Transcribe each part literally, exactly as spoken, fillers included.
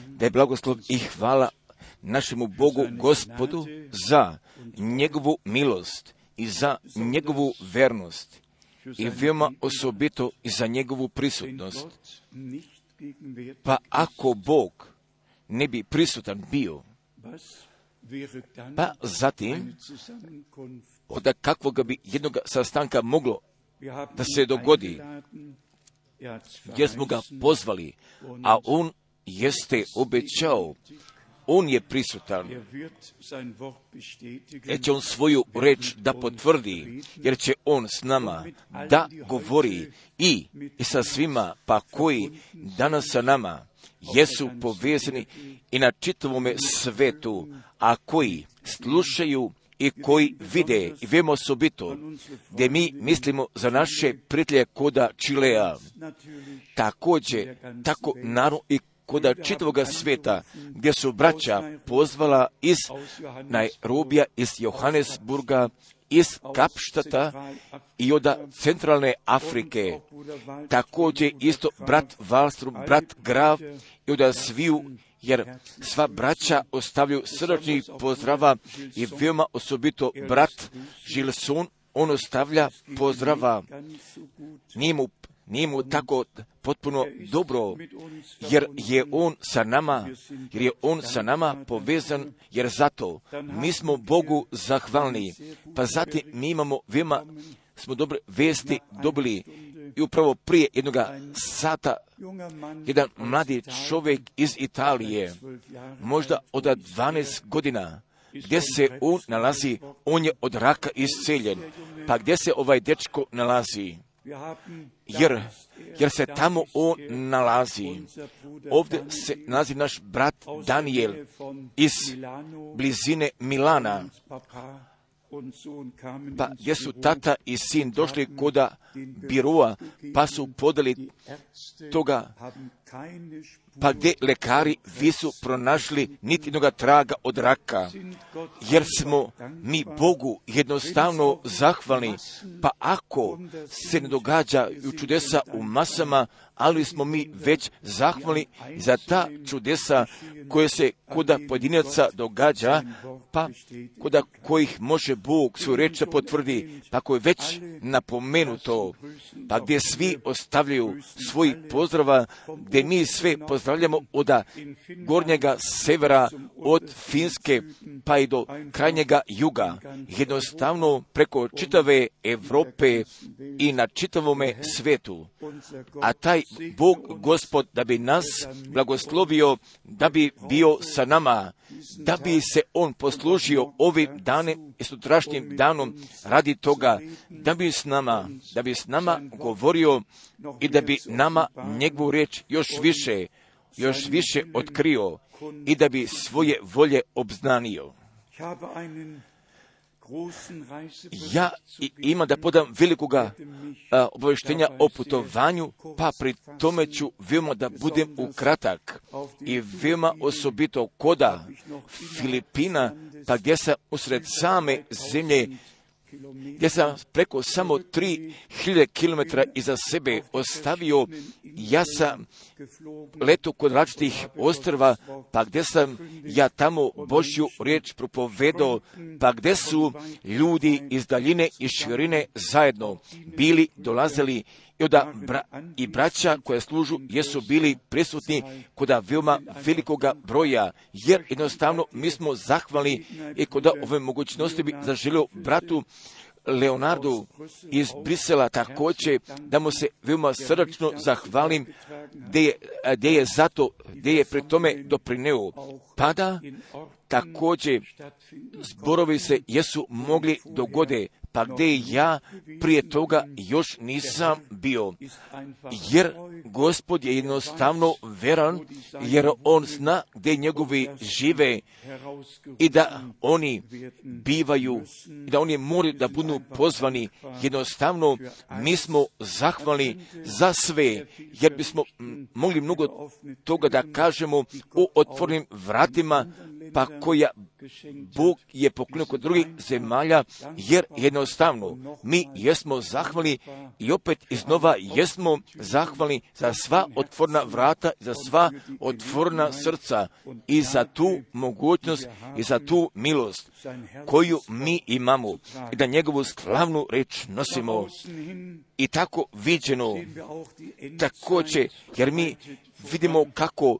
Da je blagoslov i hvala našemu Bogu, Gospodu, za njegovu milost i za njegovu vernost i veoma osobito i za njegovu prisutnost. Pa ako Bog ne bi prisutan bio, pa zatim od kakvoga bi jednog sastanka moglo da se dogodi, gdje smo ga pozvali, a on jeste obećao, on je prisutan, jer će on svoju reč da potvrdi, jer će on s nama da govori i, i sa svima, pa koji danas sa nama jesu povezani i na čitavome svetu, a koji slušaju i koji vide i vemo osobito, gdje mi mislimo za naše prijatelje koda Čilea, također, tako naravno i koda čitavoga sveta, gdje su braća pozvala iz Nairobija, iz Johannesburga, iz Kapštata i od centralne Afrike, također isto brat Wallström, brat Graf i od sviju, jer sva braća ostavljaju srdačnih pozdrava i veoma osobito brat Gilson, on ostavlja pozdrava. Nije mu, nije mu tako potpuno dobro, jer je on sa nama, jer je on sa nama povezan, jer zato mi smo Bogu zahvalni. Pa zatim mi imamo veoma, smo dobre vesti dobili i upravo prije jednog sata jedan mladi čovjek iz Italije, možda od dvanaest godina, gdje se on nalazi, on je od raka isceljen. Pa gdje se ovaj dečko nalazi? Jer, jer se tamo on nalazi. Ovdje se nalazi naš brat Daniel iz blizine Milana. Pa gdje su tata i sin došli koda biroa, pa su podali toga, pa gdje lekari visu pronašli niti jednoga traga od raka, jer smo mi Bogu jednostavno zahvalni, pa ako se ne događaju čudesa u masama, ali smo mi već zahvalni za ta čudesa koje se koda pojedinaca događa, pa koda kojih može Bog svoju reč potvrdi, pa koje je već napomenuto, pa gdje svi ostavljaju svoj pozdrava, gdje mi sve pozdravljamo od gornjega severa, od Finske pa i do krajnjega juga, jednostavno preko čitave Europe i na čitavome svetu. A taj Bog, Gospod, da bi nas blagoslovio, da bi bio sa nama, da bi se on poslužio ovim danem i sutrašnjim danom radi toga, da bi s nama, da bi s nama govorio i da bi nama njegovu riječ još više, još više otkrio i da bi svoje volje obznanio. Ja imam da podam velikoga a, obavještenja o putovanju, pa pri tome ću veoma da budem ukratak i veoma osobito koda Filipina, pa gdje sam usred same zemlje, gdje sam preko samo tri hiljade kilometara iza sebe ostavio, ja sam leto kod različitih ostrva, pa gdje sam ja tamo Božju riječ propovedao, pa gdje su ljudi iz daljine i širine zajedno bili, dolazili i, oda bra, i braća koja služu jesu bili prisutni kod veoma velikoga broja, jer jednostavno mi smo zahvalni i kod ove mogućnosti bi zaželio bratu Leonardu iz Brisela također da mu se veoma srdačno zahvalim gdje je, gdje je zato, gdje je pri tome doprineo. Pada također zborovi se jesu mogli dogode, pa gdje ja prije toga još nisam bio. Jer Gospod je jednostavno veran, jer on zna gdje njegovi žive i da oni bivaju, i da oni moraju da budu pozvani. Jednostavno mi smo zahvalni za sve, jer bismo mogli mnogo toga da kažemo o otvorenim vratima, pa koja Bog je poklonio kod drugih zemalja, jer jednostavno mi jesmo zahvalni i opet iznova jesmo zahvalni za sva otvorena vrata, za sva otvorena srca i za tu mogućnost i za tu milost koju mi imamo i da njegovu slavnu reč nosimo. I tako viđeno također, jer mi vidimo kako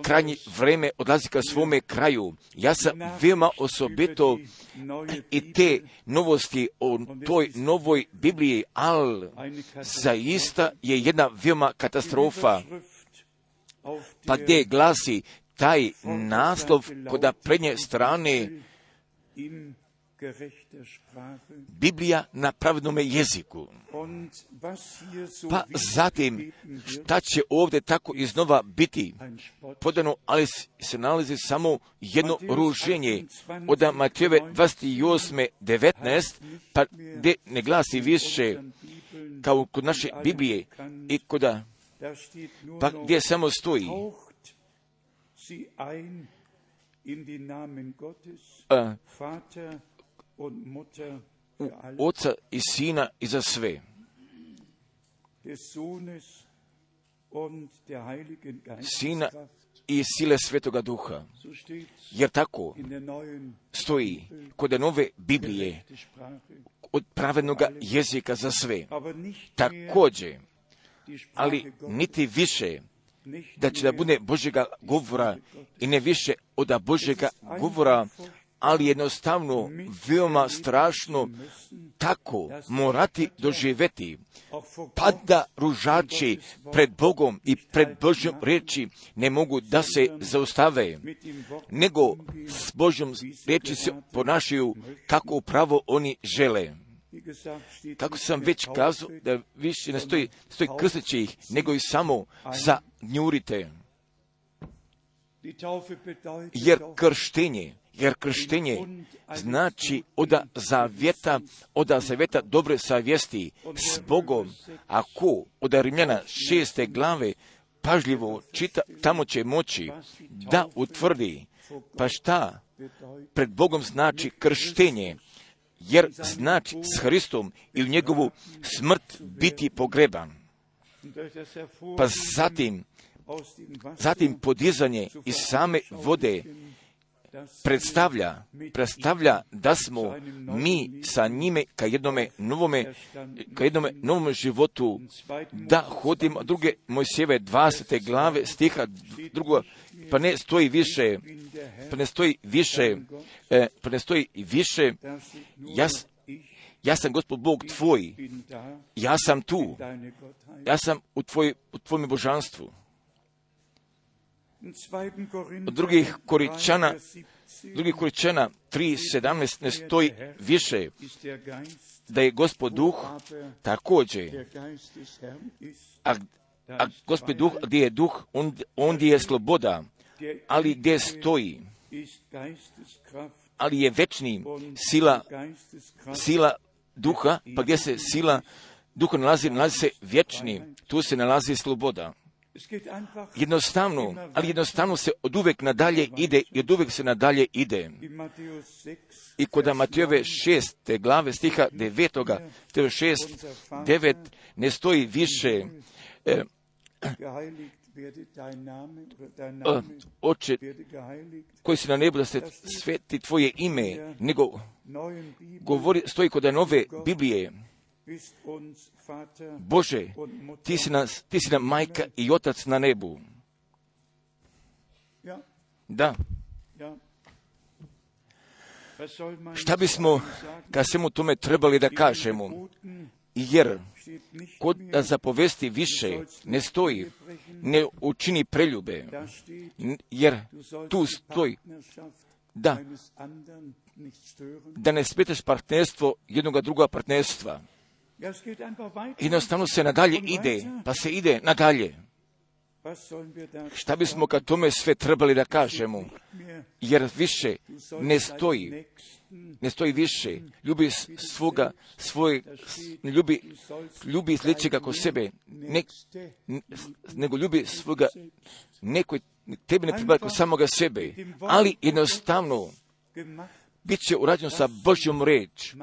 krajnje vreme odlazi ka svome kraju. Ja sam veoma osobito i te novosti o toj novoj Bibliji, ali zaista je jedna veoma katastrofa. Pa gdje glasi taj naslov kod prednje strane Biblija na pravednome jeziku. Pa zatim, šta će ovdje tako iznova biti podano, ali se nalazi samo jedno ruženje od Matejove dvadeset osam devetnaest, pa gdje ne glasi više kao kod naše Biblije i kod, pa gdje samo stoji a, u Oca i Sina i za sve. Sina i sile Svetoga Duha. Jer tako stoji kod nove Biblije od pravednog jezika za sve. Također, ali niti više da će da bude Božjega govora i ne više od Božjega govora, ali jednostavno veoma strašno tako morati doživjeti, pa da ružači pred Bogom i pred Božjom riječi ne mogu da se zaustave, nego s Božjom riječi se ponašaju kako upravo oni žele. Kako sam već kazao, da više ne stoji, stoji krsteći ih, nego i samo zanjurite. Jer krštenje, jer krštenje znači oda zavjeta, oda zavjeta dobre savjesti s Bogom. Ako od Rimljana šeste glave pažljivo čita, tamo će moći da utvrdi, pa šta pred Bogom znači krštenje, jer znači s Hristom i u njegovu smrt biti pogreban. Pa zatim, zatim podizanje iz same vode predstavlja, predstavlja da smo mi sa njime ka jednome novome, ka jednome novome životu, da hodimo. Druge Mojsijeve dvadesete glave stiha drugo, pa ne stoji više, pa ne stoji više, eh, pa ne stoji više, ja, ja sam Gospod Bog tvoj, ja sam tu, ja sam u, tvoj, u tvojom božanstvu. Od drugih Koričana, drugih Koričana tri sedamnaest ne stoji više da je Gospod Duh također, a, a Gospod Duh, gdje je Duh, on, ondje je sloboda, ali gdje stoji, ali je večni sila, sila Duha, pa gdje se sila Duha nalazi, nalazi se vječni, tu se nalazi sloboda. Jednostavno, ali jednostavno se od uvek nadalje ide i od uvek se nadalje ide. I kod Matejove šeste glave stiha devetoga, šest, devet, ne stoji više eh, Oče koji si na nebu da se sveti tvoje ime, nego govori, stoji kod nove Biblije, Bože, ti si, nas, ti si nam majka i otac na nebu. Da. Šta bismo ka svemu tome trebali da kažemo? Jer kod da zapovesti više ne stoji, ne učini preljube, jer tu stoji da, da ne smetaš partnerstvo jednoga druga partnerstva. Jednostavno se nadalje ide, pa se ide nadalje. Šta bismo kad tome sve trebali da kažemo? Jer više ne stoji, ne stoji više. Ljubi svoga, svoj, ljubi, ljubi sljedećega ko sebe, ne, nego ljubi svoga, neko tebi ne pripada ko samoga sebe. Ali jednostavno bit će urađeno sa Božjom reč.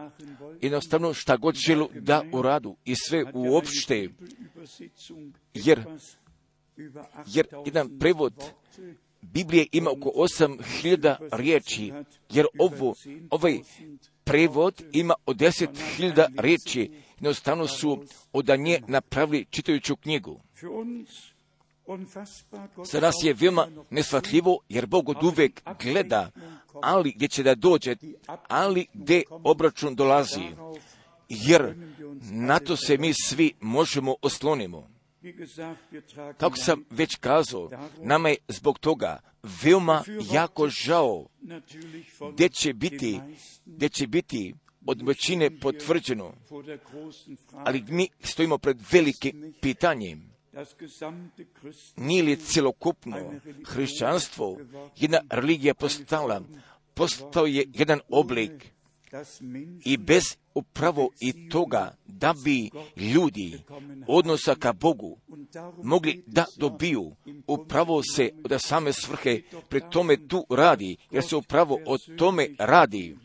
Jednostavno šta god želu da uradu i sve uopšte, jer, jer jedan prevod Biblije ima oko osam hiljada riječi, jer ovo, ovaj prevod ima od deset hiljada riječi, jednostavno su od nje napravili čitajuću knjigu. Za nas je veoma neshvatljivo, jer Bog od uvek gleda, ali gdje će da dođe, ali gdje obračun dolazi, jer na to se mi svi možemo oslonimo. Kako sam već kazao, nama je zbog toga veoma jako žao gdje će biti, gdje će biti od većine potvrđeno, ali mi stojimo pred velikim pitanjem. Nije li celokupno hrišćanstvo jedna religija postala, postao je jedan oblik i bez upravo i toga da bi ljudi odnosa ka Bogu mogli da dobiju, upravo se od same svrhe pri tome tu radi, jer se upravo o tome radi,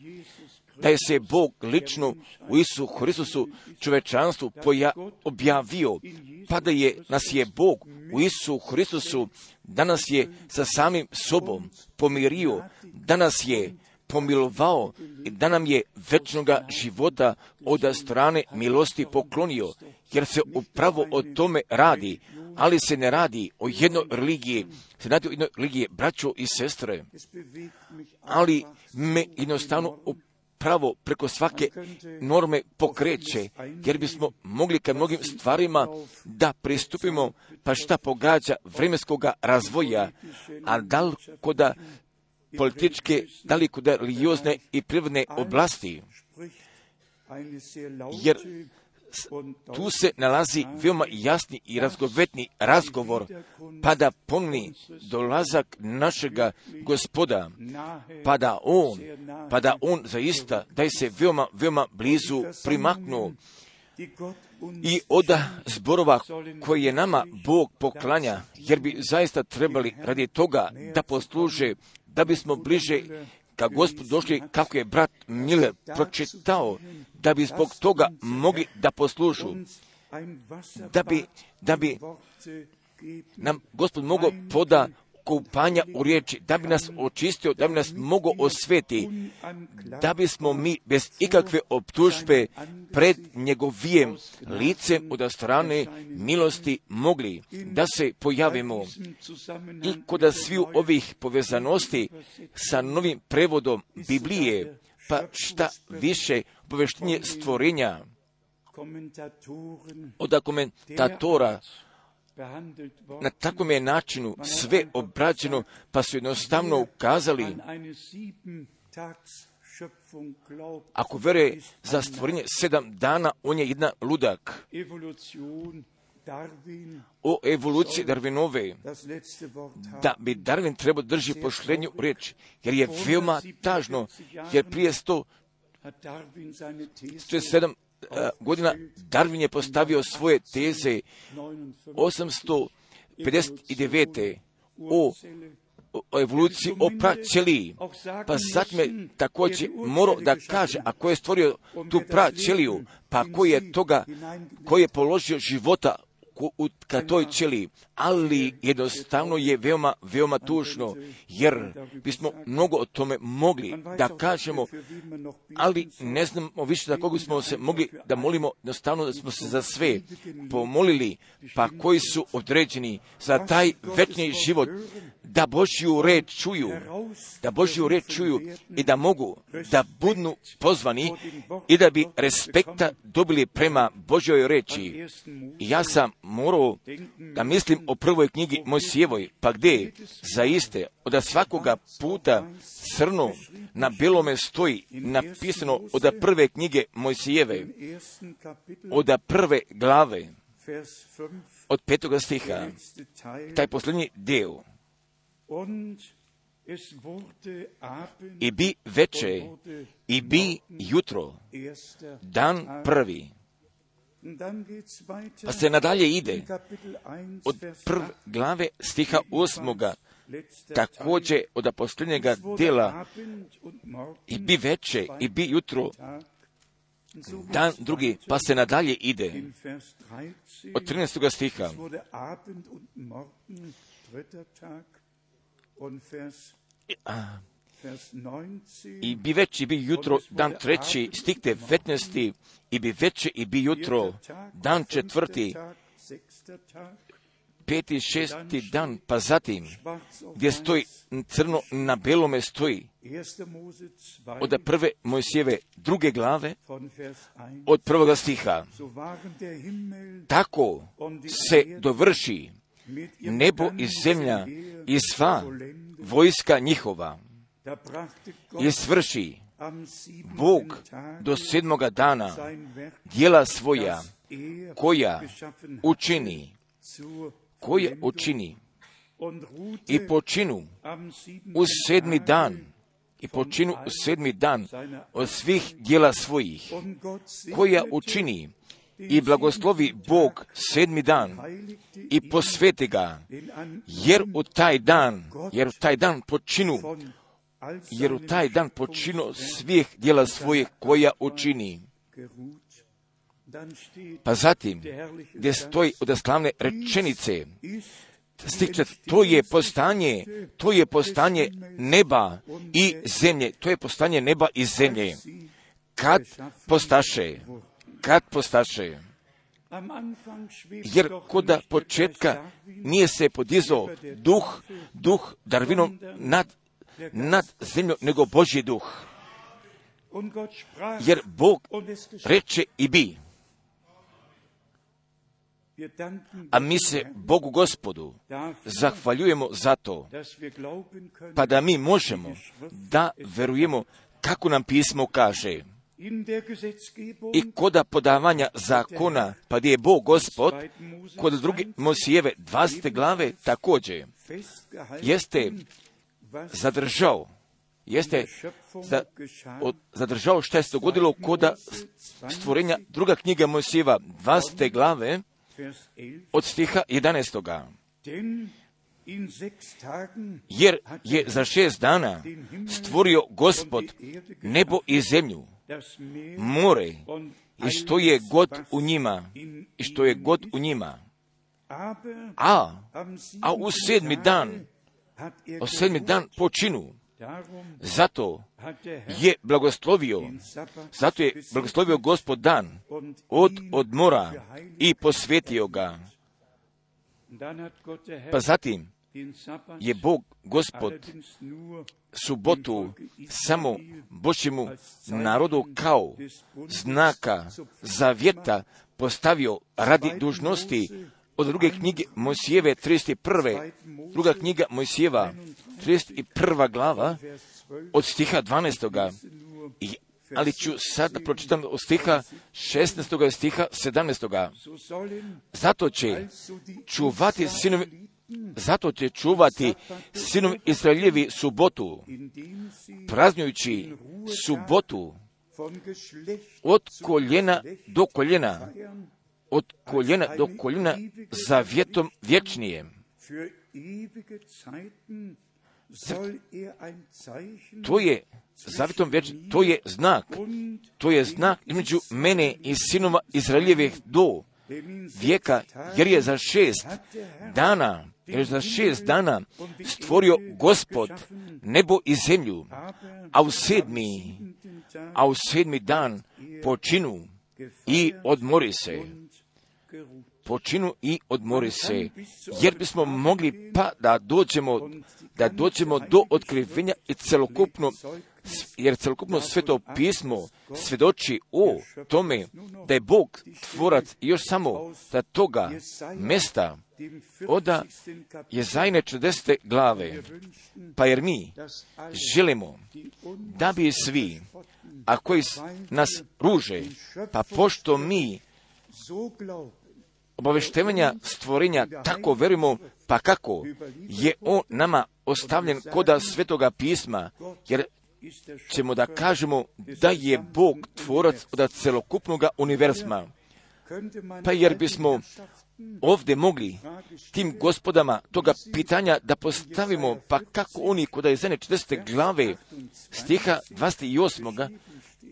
da je se Bog lično u Isusu Hristusu čovečanstvu poja, objavio, pa da je, nas je Bog u Isusu Hristusu, da nas je sa samim sobom pomirio, da nas je pomilovao i da nam je večnoga života od strane milosti poklonio, jer se upravo o tome radi, ali se ne radi o jednoj religiji, se radi o jednoj religiji, braćo i sestre, ali me jednostavno pravo preko svake norme pokreće, jer bismo mogli ka mnogim stvarima da pristupimo, pa šta pogađa vremenskoga razvoja, a daleko da političke, daleko da religiozne i prirodne oblasti, jer tu se nalazi veoma jasni i razgovetni razgovor, pa da pomni dolazak našega Gospoda, pa da on, pa da on zaista, da je se veoma, veoma blizu primaknuo i od zborova koje je nama Bog poklanja, jer bi zaista trebali radi toga da posluže, da bismo bliže ka Gospodu došli, kako je brat Miller pročitao, da bi zbog toga mogli da poslužu, da bi, da bi nam Gospod mogao poda kupanja u riječi, da bi nas očistio, da bi nas mogao osveti, da bismo mi bez ikakve optužbe pred njegovijem licem od strane milosti mogli da se pojavimo. I kod sviju ovih povezanosti sa novim prevodom Biblije, pa šta više obaveštenje stvorenja od komentatora, na takvom je načinu sve obrađeno, pa su jednostavno ukazali, ako veruje za stvorenje sedam dana, on je jedan ludak. O evoluciji Darwinove, da bi Darwin trebao drži pošlenju riječ, jer je veoma tažno, jer prije sto sedam godina Darwin je postavio svoje teze osamsto pedeset devet. o, o evoluciji, o praćeliji. Pa zatim je također morao da kaže, a ko je stvorio tu praćeliju, pa ko je toga, ko je položio života u, ka toj ćeliji, ali jednostavno je veoma, veoma tužno, jer bismo mnogo o tome mogli da kažemo, ali ne znamo više za koga smo se mogli da molimo, jednostavno da smo se za sve pomolili, pa koji su određeni za taj večni život, da Božju reč čuju, da Božju reč čuju i da mogu da budu pozvani i da bi respekta dobili prema Božjoj reči. Ja sam morao da mislim o prvoj knjigi Mojsijevoj, pa gdje zaiste od svakoga puta crno na belome stoji napisano od prve knjige Mojsijeve, od prve glave, od petoga stiha, taj posljednji deo. I bi veče, i bi jutro, dan prvi. Pa se nadalje ide od prve glave stiha osmoga također od posljednjega dela i bi veče i bi jutro, dan drugi, pa se nadalje ide. Od trinaestog stiha. A, I bi veče i bi jutro, dan treći, stih devetnaesti, i bi veče i bi jutro, dan četvrti, peti, šesti dan, pa zatim, gdje stoji crno na belome stoji, od prve Mojsijeve druge glave, od prvoga stiha. Tako se dovrši nebo i zemlja i sva vojska njihova. I svrši Bog do sedmoga dana djela svoja, koja učini, koja učini i počinu u sedmi dan, i počinu u sedmi dan od svih djela svojih, koja učini i blagoslovi Bog sedmi dan i posveti ga, jer u taj dan, jer u taj dan počinu, jer u taj dan počinu svih djela svojih koja učini. Pa zatim, gdje stoji od slavne rečenice, stiče, to je postanje, to je postanje neba i zemlje, to je postanje neba i zemlje. Kad postaše, kad postaše, jer koda početka nije se podizao duh, duh Darvinom nad, nad zemljom, nego Božji duh. Jer Bog reče i bi. A mi se Bogu Gospodu zahvaljujemo za to, pa da mi možemo da verujemo kako nam pismo kaže. I koda podavanja zakona, pa gdje je Bog Gospod, kod druge Mojsijeve dvadesete glave također, jeste zadržao, jeste za, od, zadržao što je se dogodilo koda stvorenja druga knjiga Mojsijeva dvadesete glave, od stiha jedanaestoga. Jer je za šest dana stvorio Gospod nebo i zemlju, more i što je god u njima, i što je god u njima. A, a u sedmi dan, u sedmi dan počinu. Zato je blagoslovio, zato je blagoslovio Gospod dan od odmora i posvetio ga. Pa zatim je Bog Gospod subotu samo Božjemu narodu kao znaka zavjeta postavio radi dužnosti od druge knjige Mojsijeve trideset prve. Druga knjiga Mojsijeva trideset prva glava od stiha dvanaestoga. I, ali ću sad da pročitam od stiha šesnaestoga i stiha sedamnaestoga. Zato će čuvati sinovi, zato će čuvati sinovi Izraeljevi subotu, praznujući subotu od koljena do koljena, od koljena do koljena zavjetom vječnijem. To je zavjetom vječnijem, to je znak, to je znak između mene i sinova Izraeljevih do vijeka, jer je za šest dana, jer je za šest dana stvorio Gospod nebo i zemlju, a u sedmi, a u sedmi dan počinu i odmori se. Počinu i odmori se, jer bismo mogli pa da dođemo, da dođemo do otkrivenja i celokupno, jer celokupno Sveto pismo svjedoči o tome da je Bog tvorac i još samo da toga mesta oda je Jezajine četrdesete glave. Pa jer mi želimo da bi svi, a koji nas ruže, pa pošto mi obaveštevanja stvorenja tako verujemo, pa kako je on nama ostavljen koda Svetoga pisma, jer ćemo da kažemo da je Bog tvorac od celokupnog univerzuma. Pa jer bismo ovdje mogli tim gospodama toga pitanja da postavimo, pa kako oni kod Izajije četrdeset glave stiha dvadeset osam.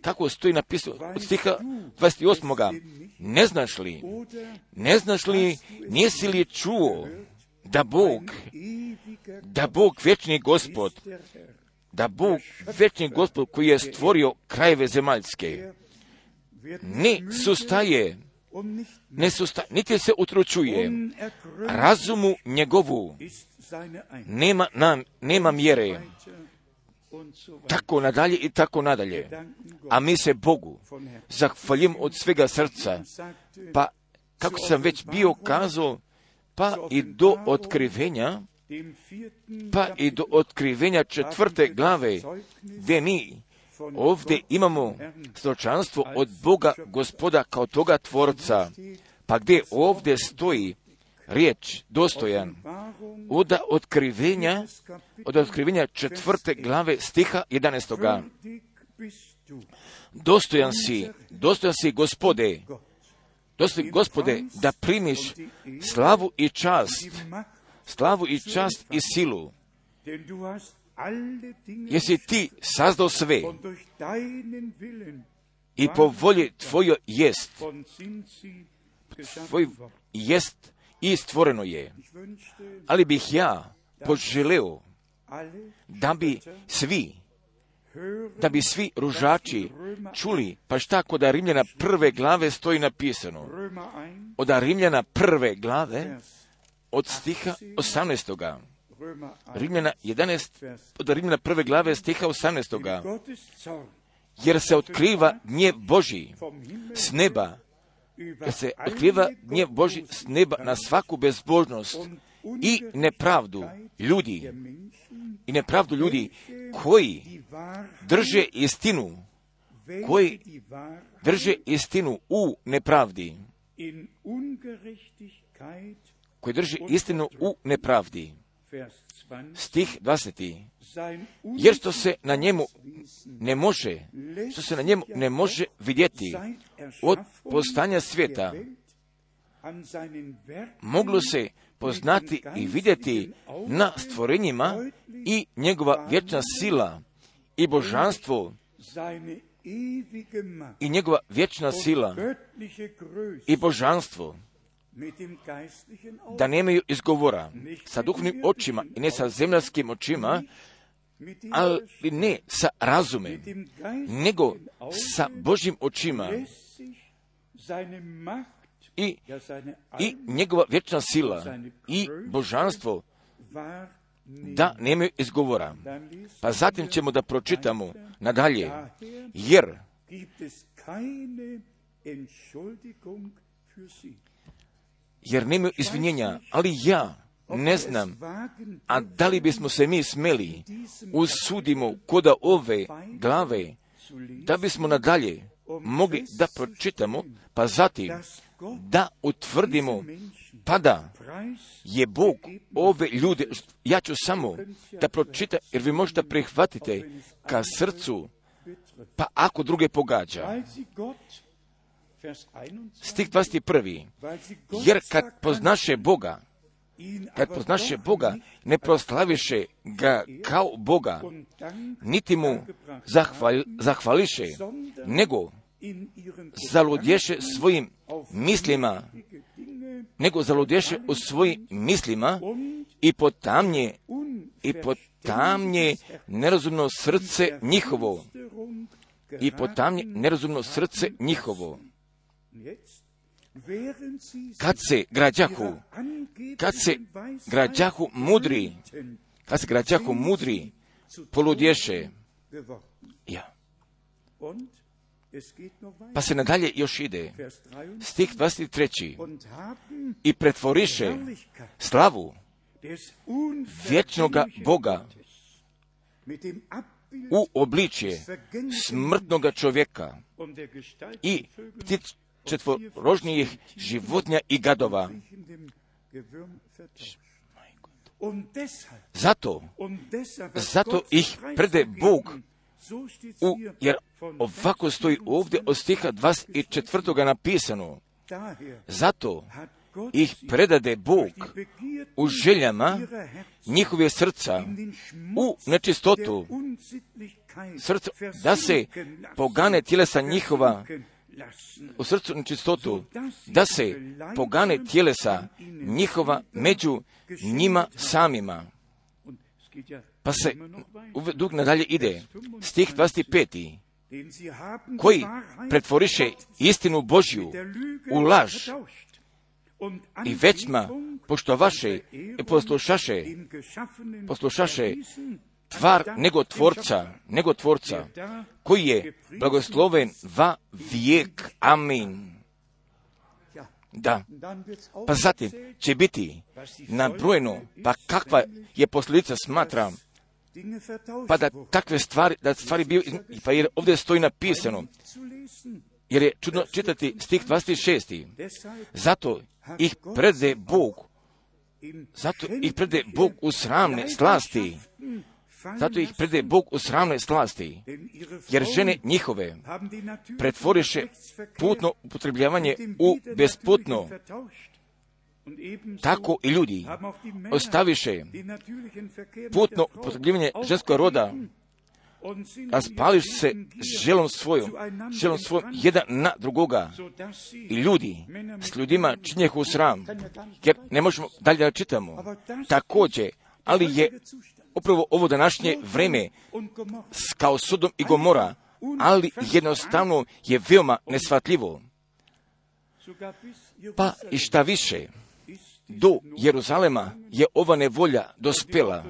Kako stoji napisano od stiha dvadeset osam. Ne znaš li, ne znaš li, nisi li čuo da Bog, da Bog vječni Gospod, da Bog vječni Gospod koji je stvorio krajeve zemaljske, ne sustaje, ne sustaje, niti se utručuje, razumu njegovu nema, nam, nema mjere, tako nadalje i tako nadalje. A mi se Bogu zahvaljujemo od svega srca, pa kako sam već bio kazao, pa i do otkrivenja, pa i do otkrivenja četvrte glave, gdje mi ovdje imamo svjedočanstvo od Boga Gospoda kao toga Tvorca, pa gdje ovdje stoji riječ dostojan od otkrivenja, od otkrivenja četvrte glave stiha jedanaestoga. Dostojan si, dostojan si Gospode, dostojan Gospode, da primiš slavu i čast, slavu i čast i silu, jesi ti sazdao sve i po volji tvojoj jest, tvoj jest i stvoreno je. Ali bih ja poželeo da bi svi, da bi svi ružači čuli, pa šta kod Rimljana prve glave stoji napisano. Od Rimljana prve glave, od stiha osamnaestoga. Rimljana jedanaest, od Rimljana prve glave stiha osamnaestoga. Jer se otkriva gnjev Božji s neba, jer se otkriva gnjev Božji s neba na svaku bezbožnost i nepravdu ljudi, i nepravdu ljudi koji drže istinu, koji drže istinu u nepravdi, koji drže istinu u nepravdi. Stih dvadeseti. Jer što se na njemu ne može, što se na njemu ne može vidjeti od postanja svijeta, moglo se poznati i vidjeti na stvorenjima i njegova vječna sila i božanstvo i njegova vječna sila i božanstvo, da nemaju izgovora sa duhovnim očima i ne sa zemljarskim očima, ali ne sa razumem, nego sa Božjim očima i, i njegova vječna sila i božanstvo, da nemaju izgovora. Pa zatim ćemo da pročitamo nadalje, jer jer nemaju izvinjenja, ali ja ne znam, a da li bismo se mi smeli usudimo koda ove glave, da bismo nadalje mogli da pročitamo, pa zatim da utvrdimo, pa da je Bog ove ljude, ja ću samo da pročitam, jer vi možete prihvatite ka srcu, pa ako druge pogađa. Stih dvadeset prvi. Jer kad poznaše Boga, kad poznaše Boga, ne proslaviše ga kao Boga, niti mu zahval, zahvališe, nego zaludješe svojim mislima, nego zaludješe u svojim mislima i potamnje, i potamnje nerazumno srce njihovo, i potamnje nerazumno srce njihovo. Kad se građahu, kad se građahu mudri, kad se građahu mudri poludješe, ja. Pa se nadalje još ide. Stih dvadeset tri. I pretvoriše slavu vječnoga Boga u obličje smrtnoga čovjeka i ptic četvorožnijih životinja i gadova. Zato, zato ih prede Bog, u, jer ovako stoji ovdje od stiha dvadeset četvrtoga napisano, Zato ih predade Bog u željama njihove srca, u nečistotu srca, da se pogane tjelesa njihova, u srcu nečistotu, da se pogane tjelesa njihova među njima samima. Pa se dug nadalje ide, stih dvadeset pet. Koji pretvoriše istinu Božju u laž i većma poštovaše i poslušaše, poslušaše tvar nego tvorca, nego tvorca, koji je blagosloven va vijek. Amin. Da, pa zatim će biti nabrojeno, pa kakva je posljedica, smatram, pa da takve stvari, da stvari bio, pa jer ovdje stoji napisano, jer je čudno čitati stih dvadeset šest. Zato ih prede Bog, zato ih prede Bog u sramne slasti, zato ih prede Bog u sramne slasti, jer žene njihove pretvoriše putno upotrebljavanje u besputno. Tako i ljudi ostaviše putno upotrebljavanje ženskog roda, a spališ se želom svojom, želom svojom jedan na drugoga. I ljudi s ljudima činjehu sram, jer ne možemo dalje da čitamo. Također, ali je upravo ovo današnje vreme kao Sodom i Gomora, ali jednostavno je veoma neshvatljivo. Pa i šta više, do Jeruzalema je ova nevolja dospela,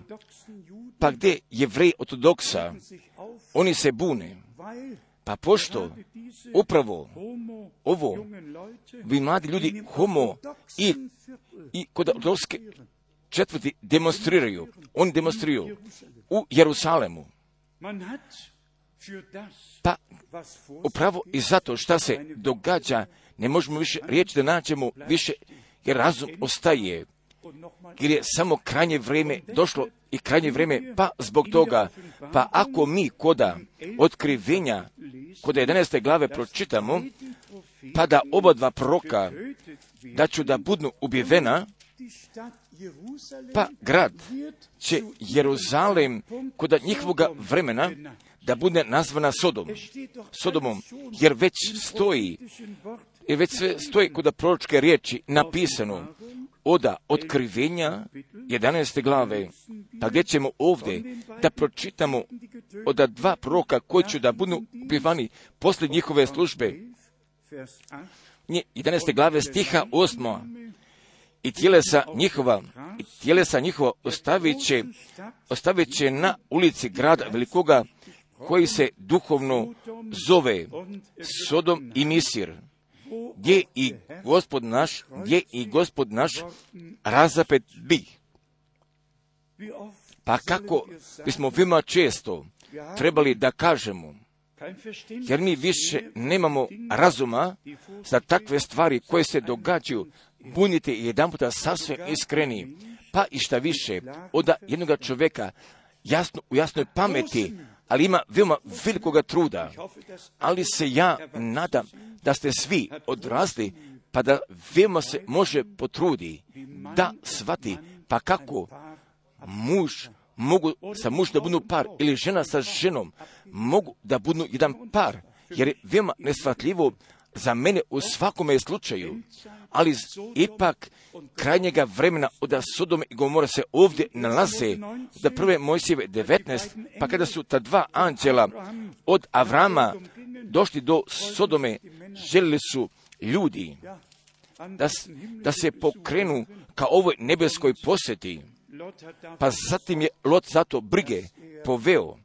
pa gdje Jevreji ortodoksa, oni se bune, pa pošto upravo ovo, vi mladi ljudi homo i, i kod ortodokske četvrti demonstriraju, oni demonstriraju u Jeruzalemu. Pa upravo i zato šta se događa, ne možemo više riječi da nađemo više, jer razum ostaje, jer je samo krajnje vrijeme došlo i krajnje vrijeme, pa zbog toga, pa ako mi koda otkrivenja, koda jedanaeste glave pročitamo, pa da oba dva proroka, da ću da budnu ubijena, pa grad će Jeruzalem koda njihovoga vremena da bude nazvana Sodom, Sodomom, jer već stoji, jer već sve stoji kod proročke riječi napisano oda otkrivenja jedanaeste glave, pa gdje ćemo ovdje da pročitamo oda dva proroka koji će da budu ubivani poslije njihove službe. jedanaeste glave stiha osma. I tjelesa njihova, i tjelesa njihova ostavit će, ostavit će na ulici grada velikoga koji se duhovno zove Sodom i Misir, gdje i Gospod naš, gdje i Gospod naš razapet bi. Pa kako bismo veoma često trebali da kažemo, jer mi više nemamo razuma za takve stvari koje se događaju, budite jedan puta sasvim iskreni, pa i šta više, od jednog čovjeka jasno, u jasnoj pameti, ali ima veoma velikoga truda, ali se ja nadam da ste svi odrasli, pa da veoma se može potrudi da shvati, pa kako muž mogu sa muž da budu par, ili žena sa ženom mogu da budu jedan par, jer je veoma neshvatljivo za mene u svakome slučaju, ali ipak krajnjega vremena od Sodome i Gomora se ovdje nalaze, da prve Mojsijeve devetnaest, pa kada su ta dva anđela od Avrama došli do Sodome, željeli su ljudi da, da se pokrenu ka ovoj nebeskoj posjeti, pa zatim je Lot zato brige poveo,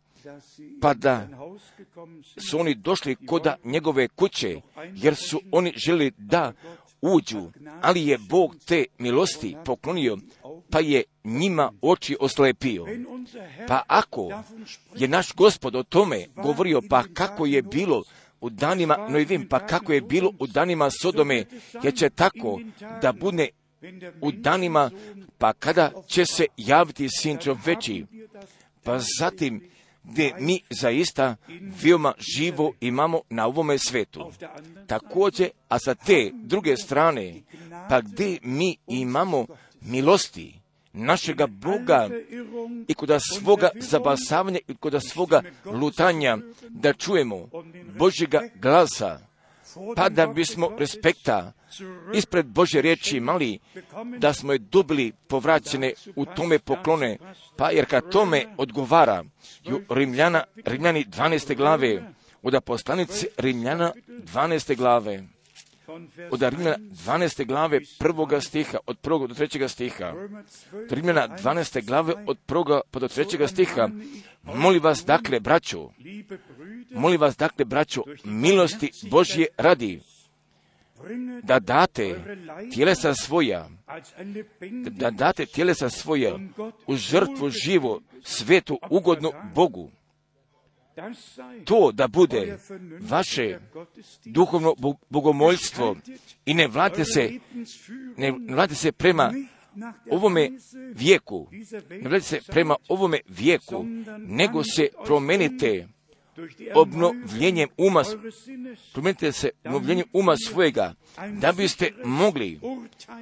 pa da su oni došli koda njegove kuće, jer su oni želi da uđu, ali je Bog te milosti poklonio, pa je njima oči oslepio. Pa ako je naš Gospod o tome govorio, pa kako je bilo u danima Noevim, pa kako je bilo u danima Sodome, jer će tako da bude u danima, pa kada će se javiti Sin čovječji. Pa zatim gdje mi zaista veoma živo imamo na ovome svetu. Također, a sa te druge strane, pa gdje mi imamo milosti našega Boga i kod svoga zabasavanja i kod svoga lutanja da čujemo Božjega glasa, pa da bismo respekta ispred Božje riječi imali, da smo je dobili povraćene u tome poklone, pa jer kad tome odgovara Rimljana, Rimljani dvanaeste glave, od poslanice Rimljana dvanaeste glave, od Rimljana dvanaeste glave prvoga stiha, od prvog do trećega stiha, od Rimljana dvanaeste glave od prvoga do trećega stiha, molim vas dakle, braćo, molim vas dakle, braćo, milosti Božje radi, da date tjelesa svoja, da date tjelesa svoja u žrtvu živo, svetu, ugodnu Bogu. To da bude vaše duhovno bogomoljstvo i ne vladite se, ne vladite se prema ovome vijeku, ne vladite se prema ovome vijeku, nego se promenite obnovljenjem uma, promijenite se obnovljenjem uma svojega, da biste mogli,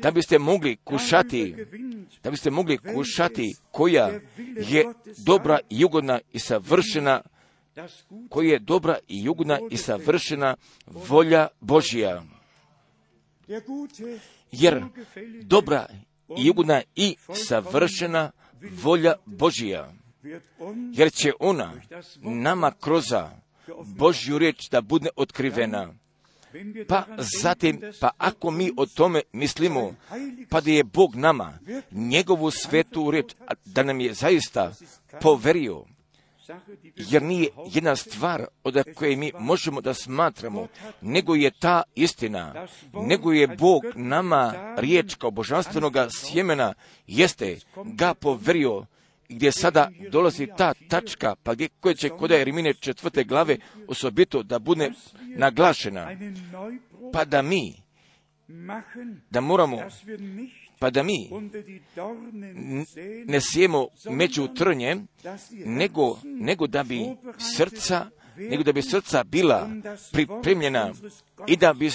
da biste mogli kušati, da biste mogli kušati koja je dobra i ugodna i savršena, koja je dobra i ugodna i savršena volja Božja. Jer dobra i ugodna i savršena volja Božja, jer će ona nama kroz Božju riječ da bude otkrivena. Pa zatim, pa ako mi o tome mislimo, pa da je Bog nama njegovu svetu riječ, da nam je zaista poverio, jer nije jedna stvar od koje mi možemo da smatramo, nego je ta istina, nego je Bog nama riječ kao božanstvenoga sjemena, jeste ga poverio, gdje sada dolazi ta tačka, pa gdje koje će kod Jeremije četvrte glave osobito da bude naglašena, pa da mi, da moramo, pa da mi ne sijemo među trnje, nego, nego da bi srca, nego da bi srca bila pripremljena i da bi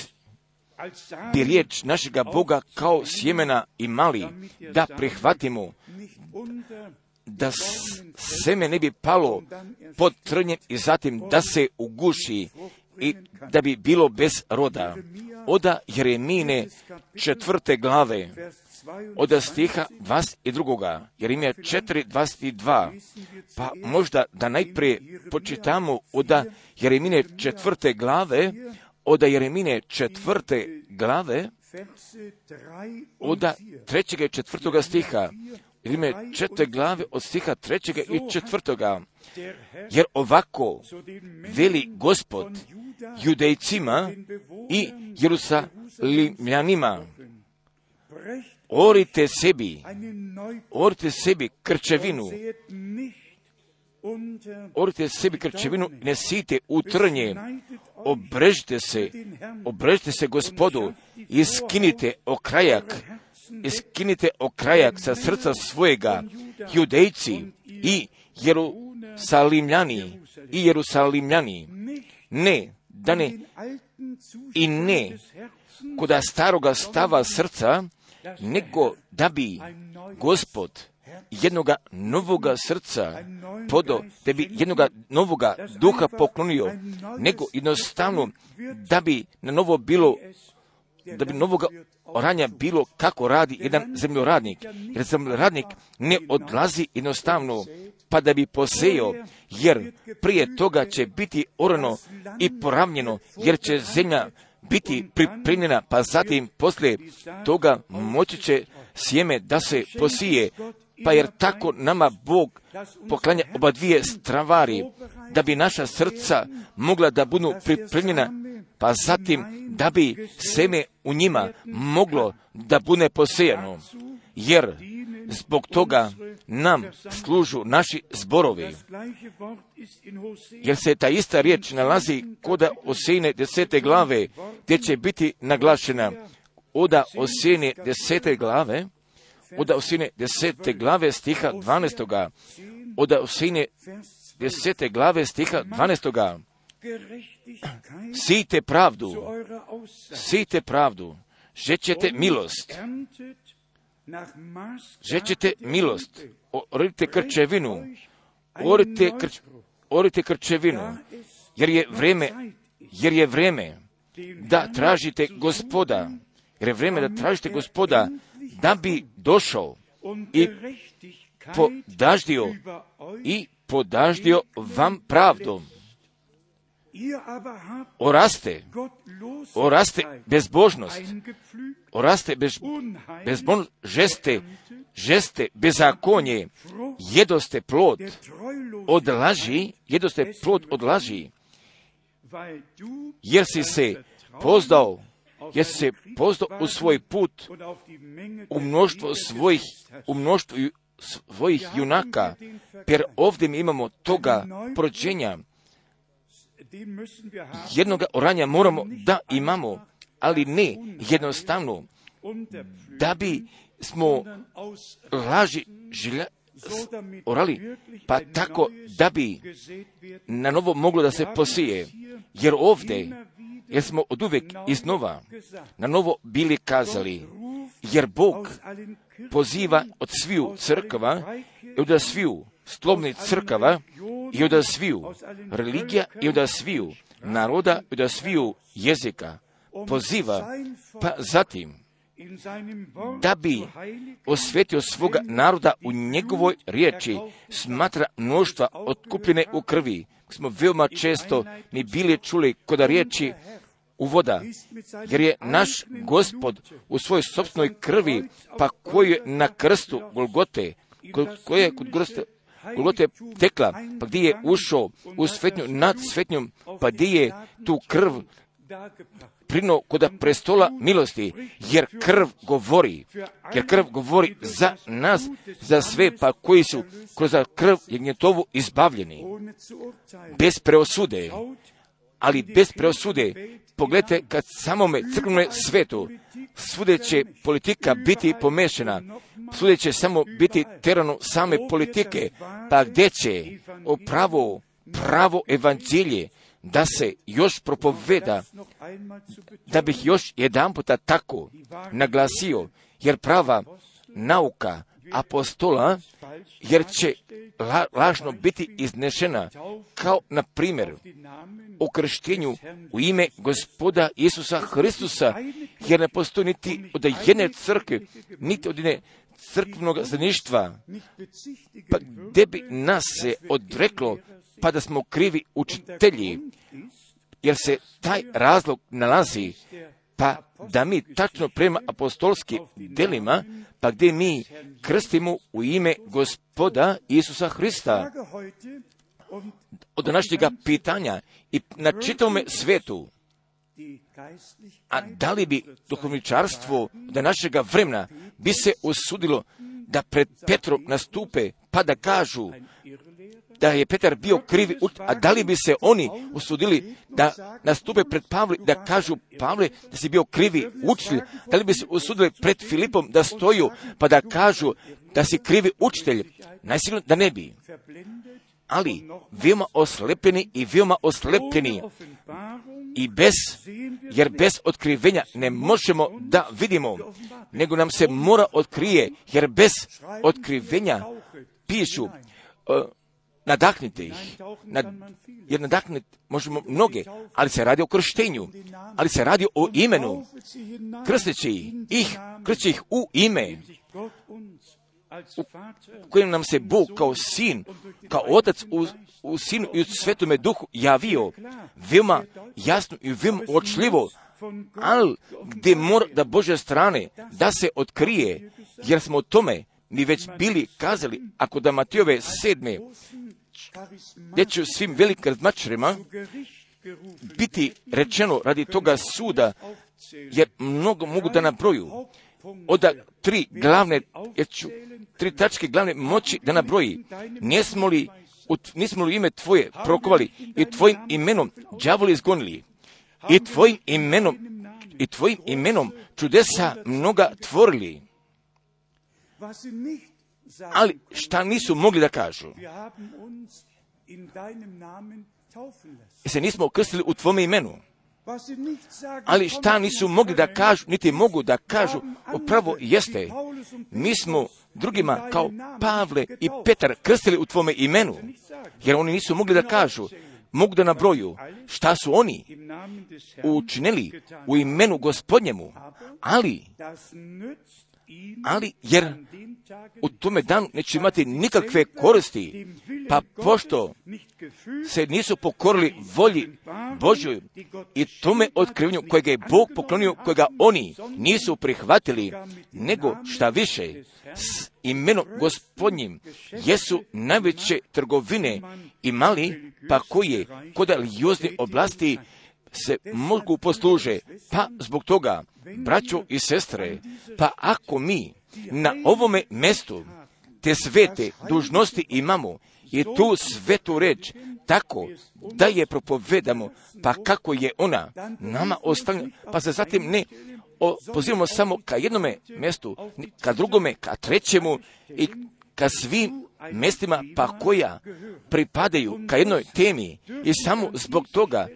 bi riječ našega Boga kao sjemena imali, da prihvatimo, da seme ne bi palo pod trnjem i zatim da se uguši i da bi bilo bez roda. Oda Jeremine četvrte glave, od stiha dvadeset dva. Jeremija četiri, dvadeset dva. Pa možda da najprije počitamo od Jeremine četvrte glave, od Jeremine četvrte glave, od trećega i četvrtoga stiha. Jeremije četvrte glave od stiha trećega i četvrtoga. Jer ovako veli Gospod Judejcima i Jerusalimljanima, orite sebi, orite sebi krčevinu, orite sebi krčevinu, ne sijte u trnje, obrežite se, obrežite se Gospodu i skinite okrajak, iskinite okrajak sa srca svojega, Judejci i Jerusalimljani i Jerusalimljani, ne, da ne, i ne koda staroga stava srca, nego da bi Gospod jednoga novoga srca podo, da bi jednoga novoga duha poklonio, nego jednostavno da bi na novo bilo, da bi novoga oranja bilo kako radi jedan zemljoradnik. Jer zemljoradnik ne odlazi jednostavno pa da bi posejao, jer prije toga će biti orano i poravnjeno, jer će zemlja biti pripremljena, pa zatim poslije toga moći će sjeme da se posije, pa jer tako nama Bog poklanja oba dvije stvari, da bi naša srca mogla da budu pripremljena, pa zatim da bi seme u njima moglo da bude posejano, jer zbog toga nam služu naši zborovi. Jer se ta ista riječ nalazi koda Osejne desete glave, gdje će biti naglašena. Oda Osejne desete glave, oda Osejne desete glave stiha dvanaestoga, oda Osejne desete glave stiha dvanaestoga. Sijte pravdu, sijte pravdu, žećete milost, žećete milost, orite krčevinu, orite, krč, orite krčevinu, jer je vreme, jer je vreme da tražite Gospoda, jer je vreme da tražite Gospoda, da bi došao i podaždio i podaždio vam pravdom. Oraste, oraste bezbožnost, oraste bez, bezbožnost, žeste, žeste bezakonje, jedoste plod od laži, jedoste plod od laži, jer si se pozdao, jer si se pozdao u svoj put, u mnoštvo svojih, u mnoštvo svojih junaka, jer ovdje mi imamo toga porođenja. Jednoga oranja moramo da imamo, ali ne jednostavno, da bi smo laži žilja, orali, pa tako da bi na novo moglo da se posije. Jer ovdje, jer smo od uvijek iznova na novo bili kazali, jer Bog poziva od sviju crkava i od sviju slovnih crkava i od sviju religija i od sviju naroda i od sviju jezika poziva, pa zatim da bi osvetio svoga naroda u njegovoj riječi, smatra mnoštva otkupljene u krvi. Smo veoma često mi bili čuli kod riječi uvoda, jer je naš Gospod u svojoj sopstvenoj krvi, pa koju je na krstu Golgote, koja je kod krsta Golgote tekla, pa gdje je ušao u svetnju nad svetnjom, pa gdje je tu krv prinuo kod prestola milosti, jer krv govori, jer krv govori za nas, za sve, pa koji su kroz krv jagnjetovu izbavljeni, bez preosude, ali bez preosude. Pogledajte, kad samome crkvenome svetu svude će politika biti pomešana, svude će samo biti terano same politike, pa gdje će o pravo, pravo evanđelje da se još propoveda, da bih još jedan puta tako naglasio, jer prava nauka apostola, jer će la, lažno biti iznešena, kao na primjer o krštenju u ime Gospoda Isusa Hristusa, jer ne postoji niti od jedne crkve, niti od jedne crkvenog zajedništva, pa gdje bi nas se odreklo, pa da smo krivi učitelji, jer se taj razlog nalazi, pa da mi tačno prema apostolskim delima, pa gdje mi krstimo u ime Gospoda Isusa Hrista. Od današnjega pitanja i na čitavome svetu, a da li bi duhovničarstvo do našega vremena bi se usudilo da pred Petrom nastupe, pa da kažu da je Petar bio krivi, a da li bi se oni usudili da nastupe pred Pavle, da kažu Pavle da si bio krivi učitelj, da li bi se usudili pred Filipom da stoju, pa da kažu da si krivi učitelj? Najsigurno da ne bi. Ali veoma oslepljeni i veoma oslepljeni i bez, jer bez otkrivenja ne možemo da vidimo, nego nam se mora otkrije, jer bez otkrivenja pišu, uh, nadahnite ih, nad, jer nadahnite možemo mnoge, ali se radi o krštenju, ali se radi o imenu, krsteći ih, krsteći ih u ime, u kojem nam se Bog kao sin, kao otac u, u sinu i u svetome duhu javio, veoma jasno i veoma očljivo, ali gdje mora da Božje strane da se otkrije, jer smo o tome mi već bili kazali, ako da Matijove sedme, gdje će svim velikim razmačarima biti rečeno radi toga suda, jer mnogo mogu da nabroju, od tri glavne, jer ću tri tačke glavne moći da nabroji. Nismo li, nismo li ime Tvoje prokovali i Tvojim imenom đavoli izgonili i Tvojim imenom i Tvojim imenom čudesa mnoga tvorili. Ali šta nisu mogli da kažu? se nismo krstili u tvome imenu. Ali šta nisu mogli da kažu, niti mogu da kažu, upravo jeste, mi smo drugima kao Pavle i Petar krstili u tvome imenu, jer oni nisu mogli da kažu, mogu da nabroju šta su oni učinili u imenu Gospodnjemu, ali, ali jer u tome danu neće imati nikakve koristi, pa pošto se nisu pokorili volji Božjoj i tome otkrivenju kojega je Bog poklonio, kojega oni nisu prihvatili, nego šta više, s imenom Gospodnjim jesu najveće trgovine imali, pa koje kod religiozne oblasti se mogu posluže. Pa zbog toga, braćo i sestre, pa ako mi na ovome mjestu te svete dužnosti imamo i tu svetu reč tako da je propovedamo, pa kako je ona nama ostavljena, pa se zatim ne pozivamo samo ka jednome mjestu, ka drugome, ka trećemu i ka svim mjestima pa koja pripadaju ka jednoj temi i samo zbog toga,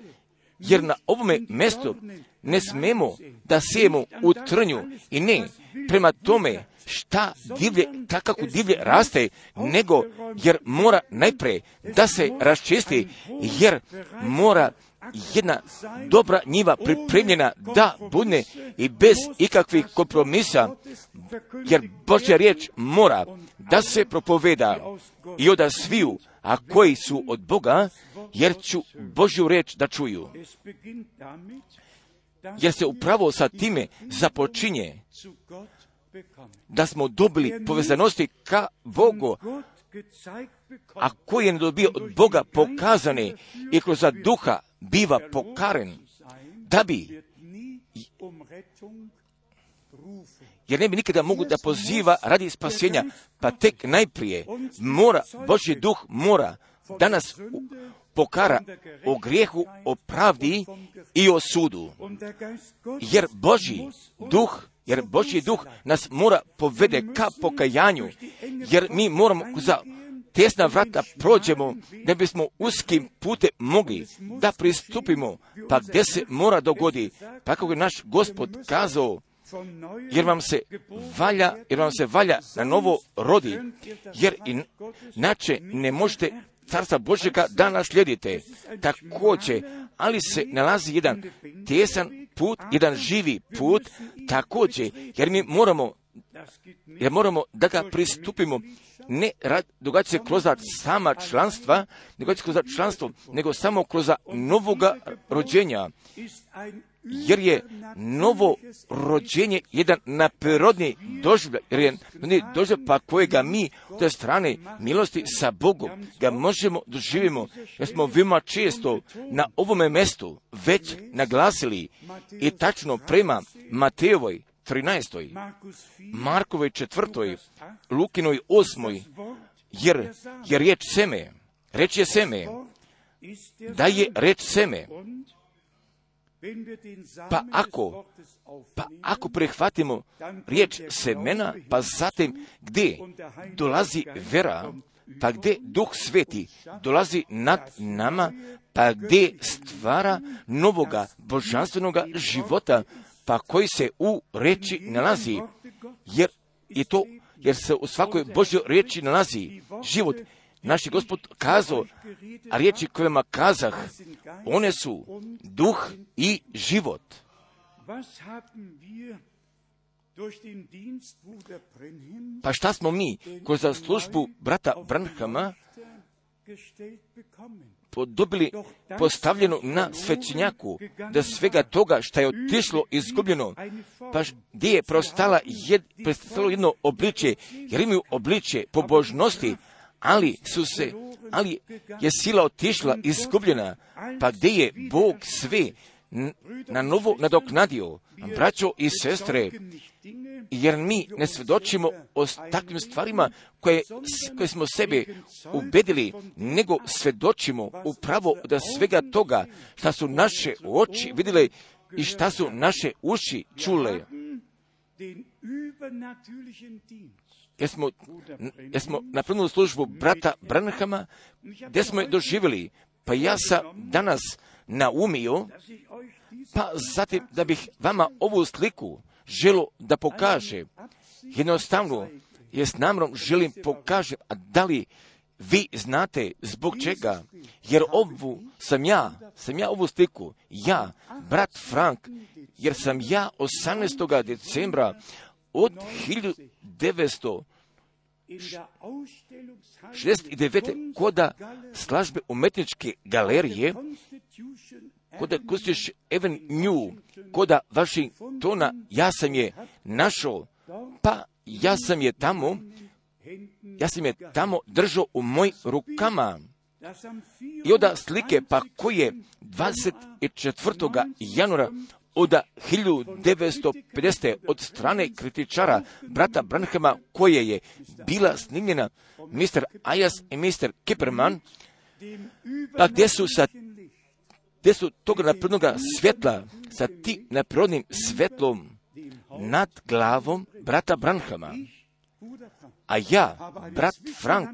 jer na ovome mjestu ne smemo da sijemo u trnju i ne prema tome šta divlje, kako divlje raste, nego jer mora najprije da se raščisti, jer mora jedna dobra njiva pripremljena da bude i bez ikakvih kompromisa, jer Božja riječ mora da se propoveda i od sviju, a koji su od Boga, jer ću Božju riječ da čuju. Jer se upravo sa time započinje da smo dobili povezanosti ka Bogu, a koji je dobio od Boga pokazane i kroz duha biva pokaren, da bi, jer ne bi nikada mogu da poziva radi spasenja, pa tek najprije mora, Božji duh mora da nas pokara o grijehu, o pravdi i o sudu. Jer Božji duh, jer Božji duh nas mora povede ka pokajanju, jer mi moramo za tesna vrata prođemo, da bismo uskim putem mogli da pristupimo, pa gdje se mora dogodi, pa kako je naš Gospod kazao, jer vam se valja, jer vam se valja na novo rodi, jer inače ne možete Carstva Božjega da naslijedite. Također, ali se nalazi jedan tesan put, jedan živi put, također, jer mi moramo, jer moramo da ga pristupimo, ne događa se kroz sama članstva, ne događa se kroz članstvo, nego samo kroz novoga rođenja. Jer je novo rođenje jedan naprirodni doživljaj, jer je doživljaj pa kojega mi od te strane milosti sa Bogom ga možemo doživimo, jer smo veoma često na ovome mjestu već naglasili i tačno prema Matejovoj trinaestoj, Markovoj četvrtoj, Lukinoj osmoj, jer je riječ seme, reč je seme, da je reč seme. Pa ako, pa ako prihvatimo riječ semena, pa zatim gdje dolazi vera, pa gdje Duh Sveti dolazi nad nama, pa gdje stvara novoga božanstvenoga života, pa koji se u riječi nalazi, jer je to, jer se u svakoj Božjoj riječi nalazi život. Naš je Gospod kazao, a riječi kojima kazah, one su duh i život. Pa šta smo mi kroz službu brata Branhama dobili postavljeno na svećenjaku, da svega toga što je otišlo izgubljeno, pa gdje je prostala jed, predstavilo jedno obličje, jer imaju obličje pobožnosti, ali su se, ali je sila otišla izgubljena, pa gdje je Bog sve na novo nadoknadio, braćo i sestre, jer mi ne svjedočimo o takvim stvarima koje, koje smo sebe ubedili, nego svjedočimo upravo da svega toga šta su naše oči vidjele i šta su naše uši čule. jer smo, jer smo napravili službu brata Branhama, gdje smo je doživjeli. Pa ja sam danas naumio, pa zatim da bih vama ovu sliku želo da pokaže. Jednostavno, jer s namjerom želim pokažem, a da li vi znate zbog čega? Jer ovu sam ja, sam ja ovu sliku, ja, brat Frank, jer sam ja osamnaestog decembra od hiljadu devetsto šezdeset devete koda slažbe umetničke galerije, koda Constitution Avenue, koda Washingtona, ja sam je našao, pa ja sam je tamo, ja sam je tamo držao u mojim rukama. I onda slike, pa koje dvadeset četvrtog januara od hiljadu devetsto pedesete od strane kritičara brata Branhama, koje je bila snimljena mister Ayers i mister Kipperman, pa gdje su sa gdje su toga naprednog svjetla sa tim naprednim svjetlom nad glavom brata Branhama. A ja, brat Frank,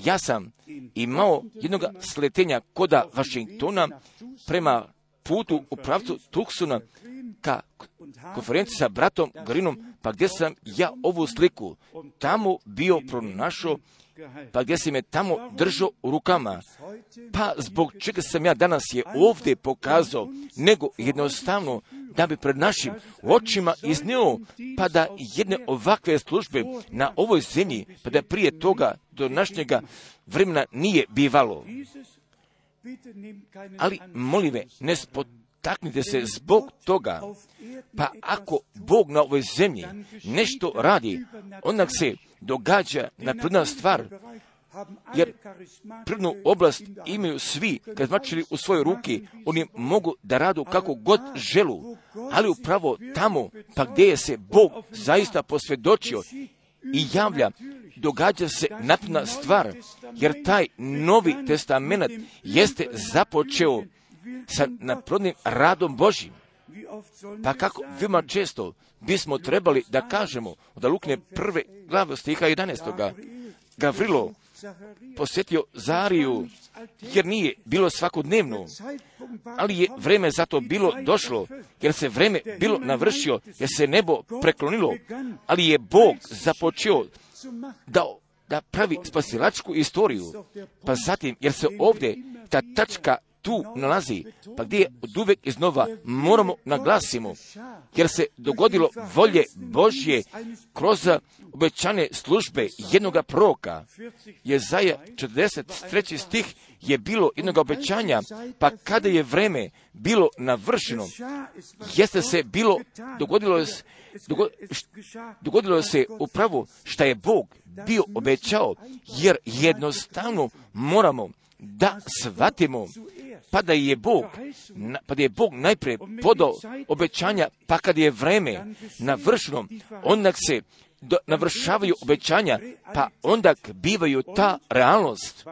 ja sam imao jednog sletenja koda Washingtona prema putu u pravcu Tucsona ka konferenciji sa bratom Greenom, pa gdje sam ja ovu sliku tamo bio pronašao, pa gdje sam je tamo držao u rukama. Pa zbog čega sam ja danas je ovdje pokazao, nego jednostavno da bi pred našim očima iznio, pa da jedne ovakve službe na ovoj zemlji, pa da prije toga do današnjega vremena nije bivalo. Ali, molim me, ne spotaknite se zbog toga, pa ako Bog na ovoj zemlji nešto radi, onda se događa napredna stvar, jer prvnu oblast imaju svi kazmačili u svojoj ruki, oni mogu da radu kako god želu, ali upravo tamo, pa gdje je se Bog zaista posvjedočio i javlja, događa se napredna stvar, jer taj Novi Testament jeste započeo sa naprednim radom Božjim. Pa kako veoma često bismo trebali da kažemo od Lukine prve glave stiha jedanaestog. Gavrilo posjetio Zariju, jer nije bilo svakodnevno, ali je vreme za to bilo došlo, jer se vreme bilo navršio, jer se nebo preklonilo, ali je Bog započeo da, da pravi spasilačku istoriju. Pa zatim, jer se ovdje ta tačka tu nalazi, pa gdje je od uvek iznova moramo naglasimo, jer se dogodilo volje Božje kroz obećane službe jednoga proroka. Jezaja četrdeset treći stih je bilo jednog obećanja, pa kada je vreme bilo navršeno, jeste se bilo, dogodilo se, dogodilo se upravo šta je Bog bio obećao, jer jednostavno moramo da shvatimo, pa da je Bog, pa da je Bog najprije podao obećanja, pa kad je vreme navršeno, onda se do, navršavaju obećanja, pa onda bivaju ta realnost.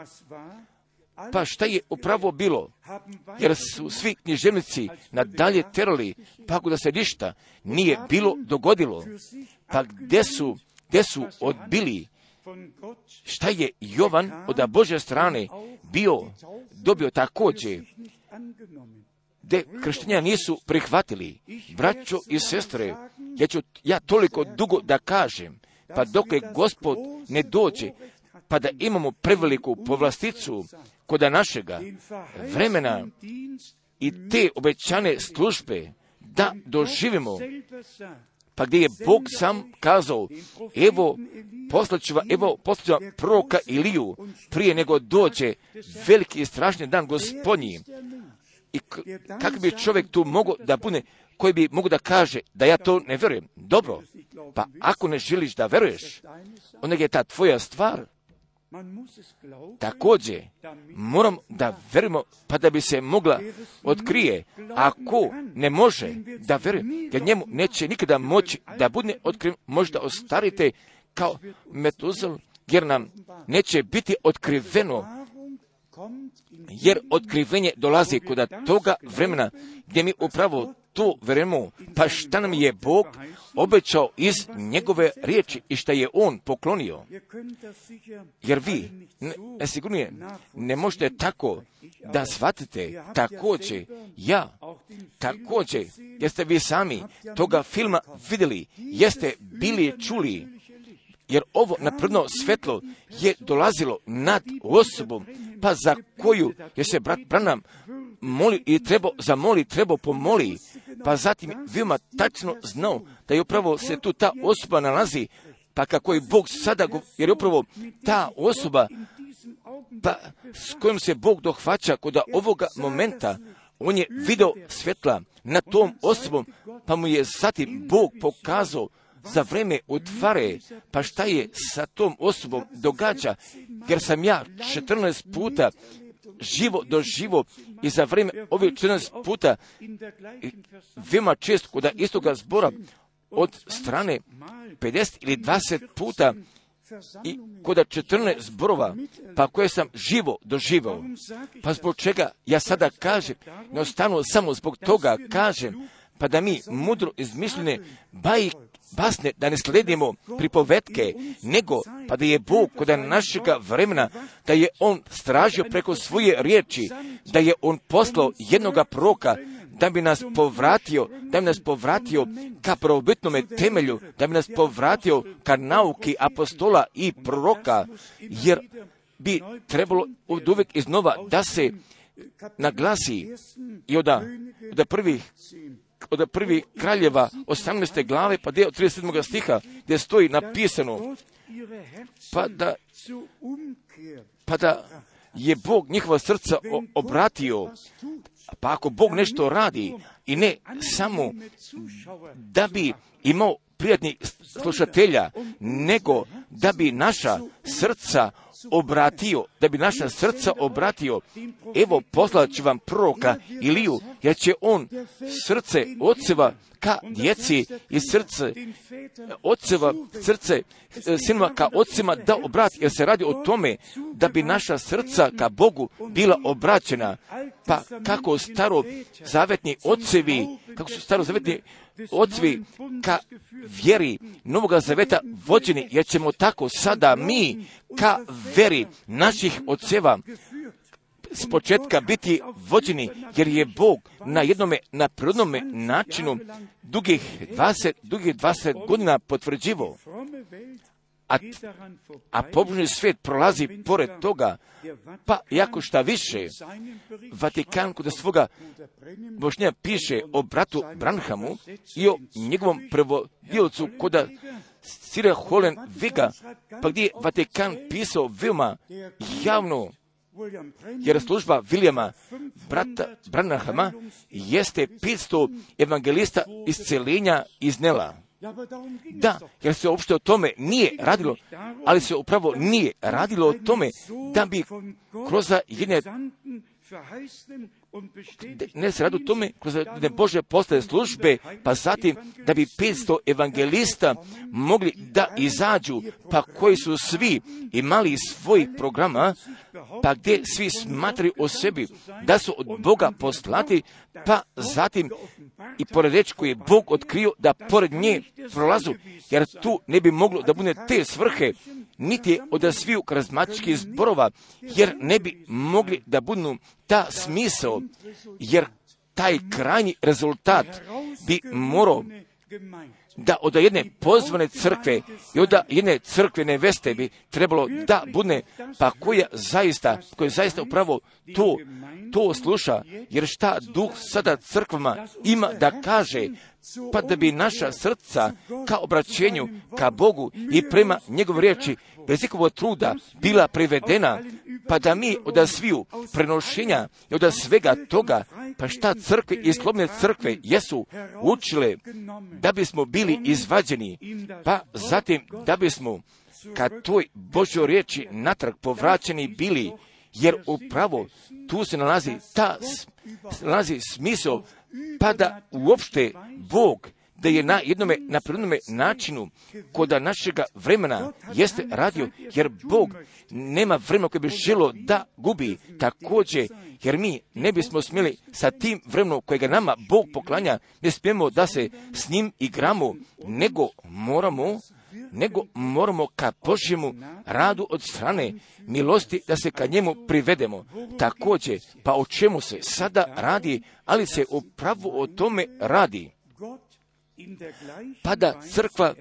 Pa šta je upravo bilo? Jer su svi književnici nadalje terali, pa da se ništa nije bilo dogodilo. Pa gdje su, gdje su odbili? Šta je Jovan od Božje strane bio, dobio također, gdje krštenja nisu prihvatili. Braćo i sestre, ja ću ja toliko dugo da kažem, pa dok je Gospod ne dođe, pa da imamo preveliku povlasticu kod našega vremena i te obećane službe da doživimo, pa gdje je Bog sam kazao, evo poslaću vam, evo poslaću vam proroka Iliju prije nego dođe veliki i strašni dan Gospodnji. I kako bi čovjek tu mogao da bude, koji bi mogu da kaže da ja to ne vjerujem? Dobro, pa ako ne želiš da veruješ, onda je ta tvoja stvar. Također, moram da verujemo, pa da bi se mogla otkrije. Ako ne može da veruje, jer njemu neće nikada moći da bude otkriven, možda ostarite kao Metuzel, jer nam neće biti otkriveno, jer otkrivenje dolazi kod toga vremena gdje mi upravo to verujemo, pa šta nam je Bog obećao iz njegove riječi i šta je On poklonio. Jer vi, ne, sigurnije, ne možete tako da shvatite, također, ja, također, jeste vi sami toga filma vidjeli, jeste bili čuli, jer ovo napredno svetlo je dolazilo nad osobom, pa za koju je se brat Branham moli i trebao zamoli, trebao pomoli, pa zatim veoma tačno znao da je upravo se tu ta osoba nalazi, pa kako je Bog sada, jer je upravo ta osoba, pa s kojom se Bog dohvaća kod ovoga momenta, on je video svjetla nad tom osobom, pa mu je zatim Bog pokazao za vreme otvare, pa šta je sa tom osobom događa, jer sam ja četrnaest puta živo doživo i za vrijeme ovih četrnaest puta veoma često kod istoga zbora od strane pedeset ili dvadeset puta i kod četrnaest zborova, pa koje sam živo doživao. Pa zbog čega ja sada kažem, jednostavno samo zbog toga kažem, pa da mi mudro izmišljene bajke, basne, da ne sledimo pripovetke, nego pa da je Bog kod našega vremena, da je On stražio preko svoje riječi, da je On poslao jednoga proroka, da bi nas povratio, da bi nas povratio ka prvobitnome temelju, da bi nas povratio ka nauki apostola i proroka, jer bi trebalo od uvijek iznova da se naglasi i od, od prvih od prvih kraljeva osamnaeste glave, pa dio trideset sedmog stiha, gdje stoji napisano, pa da, pa da je Bog njihova srca obratio, pa ako Bog nešto radi, i ne samo da bi imao prijatnih slušatelja, nego da bi naša srca obratio, da bi naša srca obratio, evo poslat ću vam proroka Iliju, jer će on srce oceva ka djeci i srce oceva, srce sinova ka ocima da obrati, jer se radi o tome da bi naša srca ka Bogu bila obraćena. Pa kako staro zavetni ocevi, kako su staro zavetni ocevi ka vjeri Novoga zaveta vođeni, jer ćemo tako sada mi ka vjeri naših oceva s početka biti vođeni, jer je Bog na jednome, na prirodnome načinu dugih dvadeset, dugih dvadeset godina potvrđivo. A, a pobožni svijet prolazi pored toga, pa jako šta više, Vatikan kod svoga božnja piše o bratu Branhamu i o njegovom prevodiocu kod Sira Holen Viga, pa gdje je Vatikan pisao veoma javno, jer služba Vilijama, brata Branhama, jeste petsto evangelista isceljenja iznela. Da, jer se uopšte o tome nije radilo, ali se upravo nije radilo o tome da bi kroz jedne, ne se radi o tome kroz jedne Bože postave službe, pa zatim da bi petsto evangelista mogli da izađu, pa koji su svi imali svojih programa, pa gdje svi smatraju o sebi da su od Boga poslati, pa zatim i pored reći koji je Bog otkrio da pored nje prolazu, jer tu ne bi moglo da bude te svrhe, niti je od sviju karizmatičkih zborova, jer ne bi mogli da budu ta smisao, jer taj krajnji rezultat bi morao da od jedne pozvane crkve i od jedne crkvene veste bi trebalo da bude, pa koja zaista, koja zaista upravo to, to sluša, jer šta Duh sada crkvama ima da kaže, pa da bi naša srca ka obraćenju, ka Bogu i prema njegov riječi, bez ikakvog truda bila privedena, pa da mi od sviju prenošenja i od svega toga, pa šta crkve i slobodne crkve jesu učile da bismo bili izvađeni, pa zatim da bismo ka toj Božjoj riječi natrag povraćeni bili, jer upravo tu se nalazi ta nalazi smisao, pa da uopšte Bog da je na jednome, na prirodnome načinu kod našega vremena jeste radio, jer Bog nema vremena koje bi želo da gubi također, jer mi ne bismo smjeli sa tim vremenom kojega nama Bog poklanja, ne smijemo da se s njim igramo, nego moramo nego moramo ka Božjemu radu od strane milosti da se ka njemu privedemo. Također, pa o čemu se sada radi, ali se upravo o tome radi. Pa da crkva,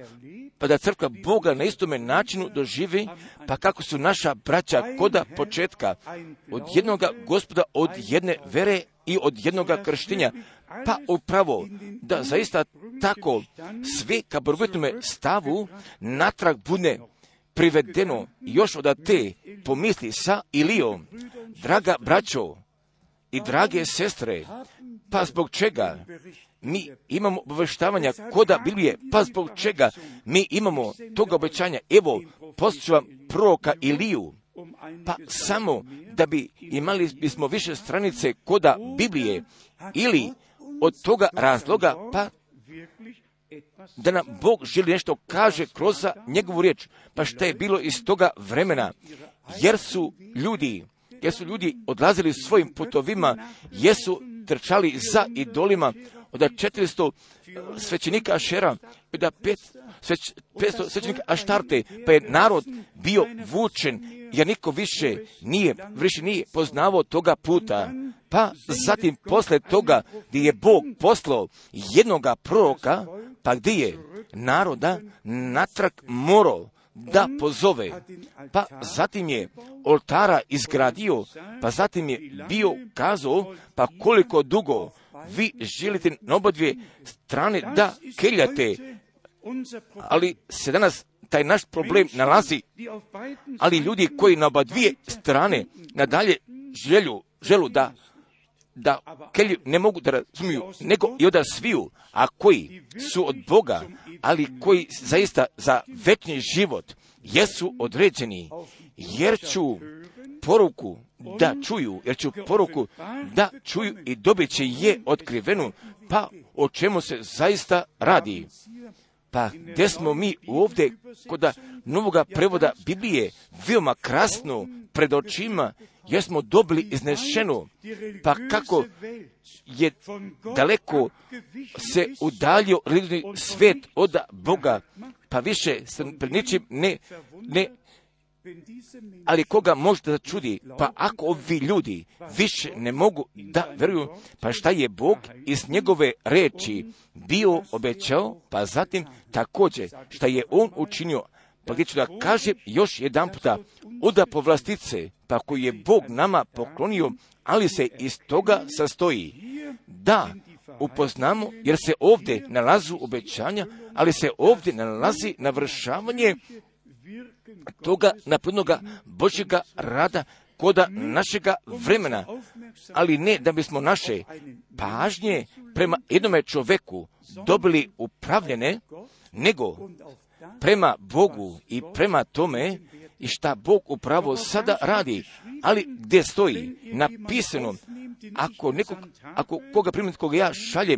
pa da crkva Boga na istome načinu doživi, pa kako su naša braća koda početka, od jednoga Gospoda, od jedne vere i od jednoga krštenja, pa upravo da zaista tako sve ka prvotnome stavu natrag bude privedeno još od te pomisli sa Ilijom. Draga braćo i drage sestre, pa zbog čega mi imamo obavještavanja koda Biblije, pa zbog čega mi imamo toga obećanja? Evo, poslušam proroka Iliju, pa samo da bi imali bismo više stranice koda Biblije, ili od toga razloga, pa da nam Bog želi nešto kaže kroz njegovu riječ, pa šta je bilo iz toga vremena, jer su ljudi, jer su ljudi odlazili svojim putovima, jesu trčali za idolima, od četiristo svećenika Ašera, od petsto svećenika Aštarte, pa je narod bio vučen, jer niko više nije, više nije poznavao toga puta. Pa zatim posle toga gdje je Bog poslao jednoga proroka, pa gdje je naroda natrag morao da pozove, pa zatim je oltara izgradio, pa zatim je bio kazao, pa koliko dugo vi želite na oba dvije strane da keljate, ali se danas taj naš problem nalazi, ali ljudi koji na oba dvije strane nadalje želju, želu da da kelju ne mogu da razumiju, nego i da sviju, a koji su od Boga, ali koji zaista za večni život jesu određeni, jer ću poruku da čuju, jer ću poruku da čuju i dobit će je otkrivenu, pa o čemu se zaista radi. Pa gdje smo mi ovdje kod novoga prevoda Biblije veoma krasno pred očima, jer smo dobili iznešeno, pa kako je daleko se udaljio religijni svijet od Boga, pa više se pred ničim ne, ne, ali koga možete da čudi, pa ako ovi ljudi više ne mogu da veruju, pa šta je Bog iz njegove reči bio obećao, pa zatim također šta je on učinio, pa gdje ću da kažem još jedan puta, oda povlastice, pa koji je Bog nama poklonio, ali se iz toga sastoji da upoznamo, jer se ovdje nalazu obećanja, ali se ovdje nalazi navršavanje toga naprednoga Božjega rada koda našega vremena, ali ne da bismo naše pažnje prema jednome čoveku dobili upravljene, nego prema Bogu i prema tome i šta Bog upravo sada radi, ali gdje stoji napisano, ako nekog, ako koga primiti koga ja šaljem